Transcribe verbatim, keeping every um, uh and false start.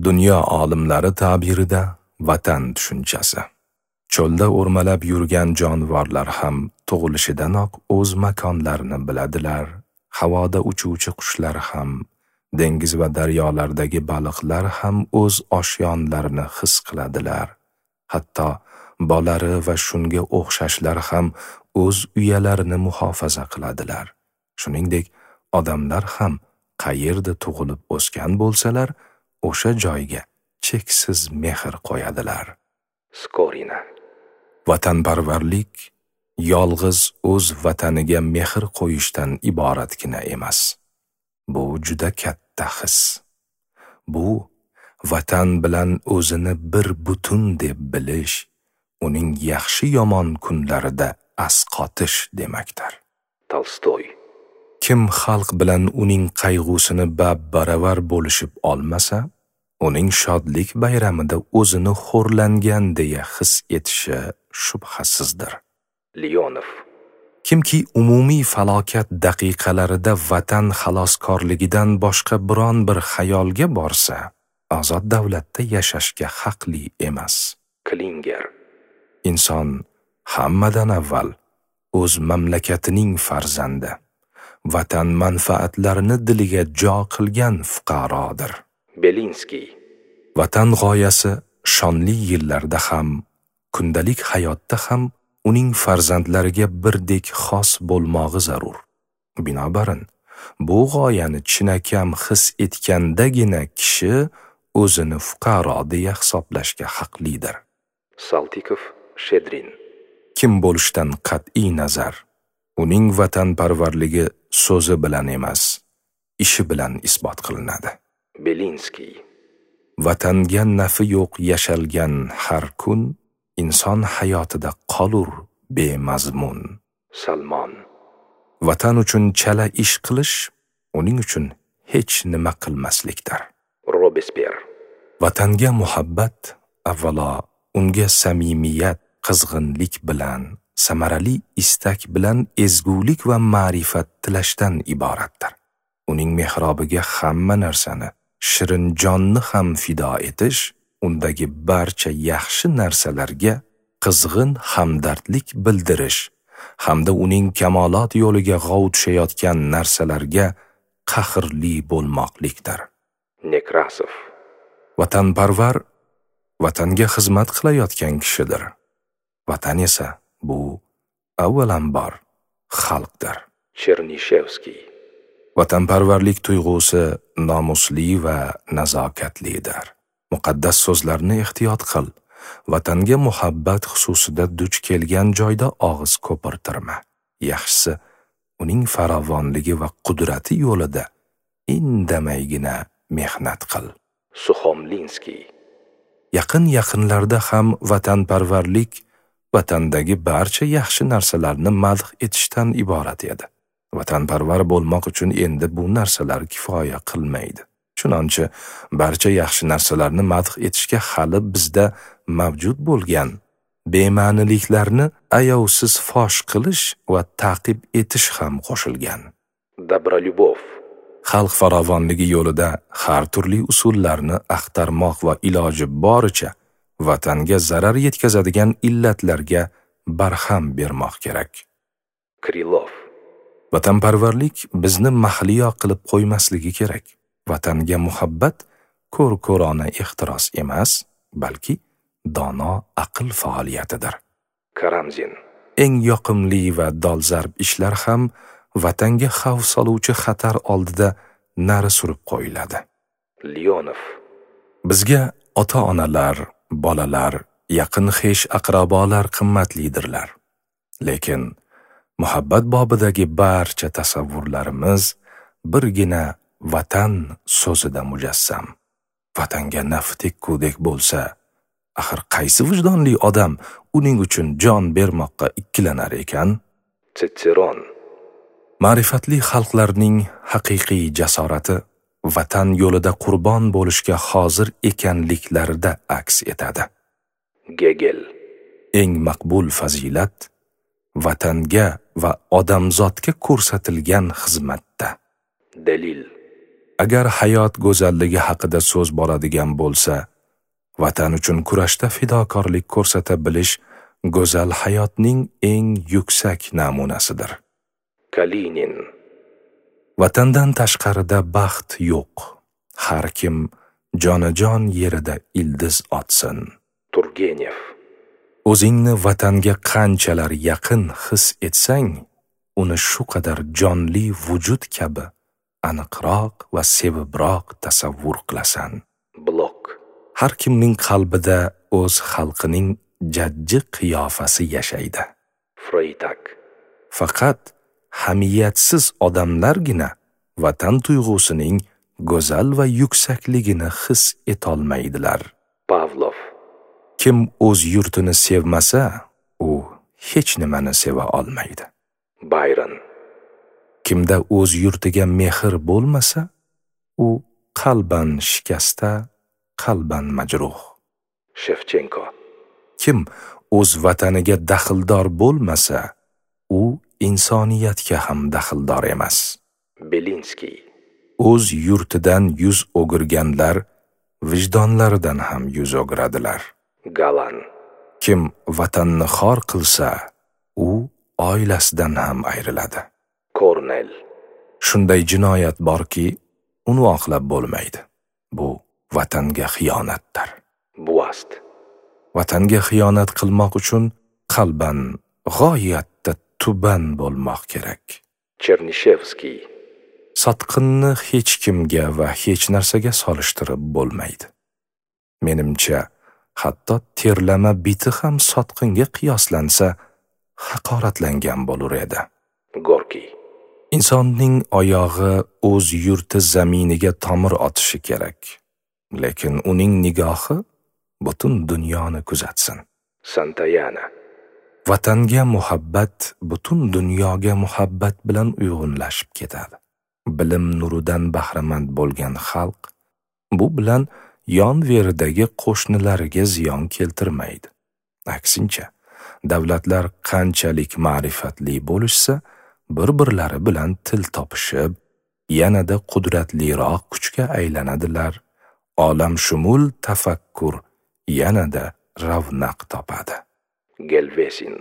Dunyo olimlari ta'birida vatan tushunchasi. Cho'lda o'rmalab yurgan jonivorlar ham tug'ilishidanoq o'z makonlarini biladilar. Havoda uchuvchi qushlar ham, dengiz va daryolardagi baliqlar ham o'z oshyonlarini his qiladilar. Hatto bolari va shunga o'xshashlar ham o'z uyalarini muhofaza qiladilar. Shuningdek, odamlar ham qayerda tug'ilib o'sgan bo'lsalar, o'sha joyga cheksiz mehr qo'yadilar. Skorina. Vatanparvarlik yolg'iz o'z vataniga mehr qo'yishdan iboratgina emas. Bu juda katta his. Bu vatan bilan o'zini bir butun deb bilish, uning yaxshi-yomon kunlarida asqotish demakdir. Tolstoy. Kim xalq bilan uning qayg'usini bab-baravar bo'lishib olmasa, uning shodlik bayramida o'zini xo'rlangan deya his etishi shubhasizdir. Leonov. Kimki umumiy falokat daqiqalarida vatan xaloskorligidan boshqa biron bir xayolga borsa, ozod davlatda yashashga haqli emas. Klinger. Inson hammadan avval o'z mamlakatining farzandi, vatan manfaatlarini diliga jo qilgan fuqarodir. Belinskiy. Vatan g'oyasi shonli yillarda ham, kundalik hayotda ham uning farzandlariga birdek xos bo'lmog'i zarur. Binobarin, bu g'oyani chinakam his etgandagina kishi o'zini fuqaro deya hisoblashga haqlidir. Saltikov, Shedrin. Kim bo'lishdan qat'iy nazar, uning vatanparvarligi so'zi bilan emas, ishi bilan isbot qilinadi. Belinskiy. Vatanga nafi yo'q yashalgan har kun inson hayotida qolur bemazmun. Salmon. Vatan uchun chala ish qilish, uning uchun hech nima qilmaslikdir. Robespyer. Vatanga muhabbat avvalo unga samimiyat, qizg'inlik bilan, samarali istak bilan ezgulik va ma'rifat tilashdan iboratdir. Uning mehrobiga hamma narsani, shirin jonni ham fido etish, undagi barcha yaxshi narsalarga qizg'in hamdardlik bildirish hamda uning kamolot yo'liga g'ov tushayotgan narsalarga qahrli bo'lmoqlikdir. Nekrasov. Vatanparvar vatanga xizmat qilayotgan kishidir. Vatan esa bu avvalambor xalqdir. Chernishevskiy. Vatanparvarlik tuyg'usi nomusli va nazokatlidir. Muqaddas so'zlarni ehtiyot qil. Vatanga muhabbat xususida duch kelgan joyda og'iz ko'pirtirma. Yaxshisi, uning farovonligi va qudrati yo'lida indamaygina mehnat qil. Suxomlinskiy. Yaqin-yaqinlarda ham vatanparvarlik vatandagi barcha yaxshi narsalarni madh etishdan iborat edi. Vatanparvar bo'lmoq uchun endi bu narsalar kifoya qilmaydi. Chunonchi, barcha yaxshi narsalarni madh etishga hali bizda mavjud bo'lgan bema'niliklarni ayovsiz fosh qilish va ta'qib etish ham qo'shilgan. Dobrolyubov. Xalq farovonligi yo'lida har turli usullarni axtarmoq va iloji boricha vatanga zarar yetkazadigan illatlarga barham bermoq kerak. Krilov. Vatanparvarlik bizni mahliyo qilib qo'ymasligi kerak. Vatanga muhabbat ko'r-ko'rona ehtiros emas, balki dono aql faoliyatidir. Karamzin. Eng yoqimli va dolzarb ishlar ham vatanga xavf soluvchi xatar oldida nari surib qo'yiladi. Leonov. Bizga ota-onalar, bolalar, yaqin xesh aqrabolar qimmatlidirlar. Lekin muhabbat bobidagi barcha tasavvurlarimiz birgina vatan so'zida mujassam. Vatanga naf tekkudek bo'lsa, axir qaysi vijdonli odam uning uchun jon bermoqqa ikkilanar ekan? Tsitseron. Ma'rifatli xalqlarning haqiqiy jasorati vatan yo'lida qurbon bo'lishga hozir ekanliklarida aks etadi. Gegel. Eng maqbul fazilat vatanga va odamzodga ko'rsatilgan xizmatda. Delil. Agar hayot go'zalligi haqida so'z boradigan bo'lsa, vatan uchun kurashda fidokorlik ko'rsata bilish go'zal hayotning eng yuksak namunasidir. Kalinin. Vatandan tashqarida baxt yo'q. Har kim jonajon yerida ildiz otsin. Turgenev. O'zingni vatanga qanchalar yaqin his etsang, uni shu qadar jonli vujud kabi aniqroq va sevibroq tasavvur qilasan. Blok. Har kimning qalbida o'z xalqining jajji qiyofasi yashaydi. Freytag. Faqat hamiyatsiz odamlargina vatan tuyg'usining go'zal va yuksakligini his etolmaydilar. Pavlov. Kim o'z yurtini sevmasa, u hech nimani seva olmaydi. Bayron. Kimda o'z yurtiga mehr bo'lmasa, u qalban shikasta, qalban majruh. Shevchenko. Kim o'z vataniga daxldor bo'lmasa, u insoniyatga ham daxldor emas. Belinskiy. O'z yurtidan yuz o'girganlar vijdonlaridan ham yuz o'giradilar. Galan. Kim vatanni xor qilsa, u oilasidan ham ayriladi. Kornel. Shunday jinoyat borki, uni oqlab bo'lmaydi. Bu vatanga xiyonatdir. Buast. Vatanga xiyonat qilmoq uchun qalban g'oyatda tuban bo'lmoq kerak. Chernishevskiy. Sotqinni hech kimga va hech narsaga solishtirib bo'lmaydi. Menimcha, hatto terlama biti ham sotqinga qiyoslansa, haqoratlangan bo'lur edi. Gorkiy. Insonning oyog'i o'z yurti zaminiga tomir otishi kerak. Lekin uning nigohi butun dunyoni kuzatsin. Santayana. Vatanga muhabbat butun dunyoga muhabbat bilan uyg'unlashib ketadi. Bilim nuridan bahramand bo'lgan xalq bu bilan yon veridagi qo'shnilariga ziyon keltirmaydi. Aksincha, davlatlar qanchalik ma'rifatli bo'lishsa, bir-birlari bilan til topishib, yanada qudratliroq kuchga aylanadilar. Olamshumul tafakkur yanada ravnaq topadi. Gelvesin.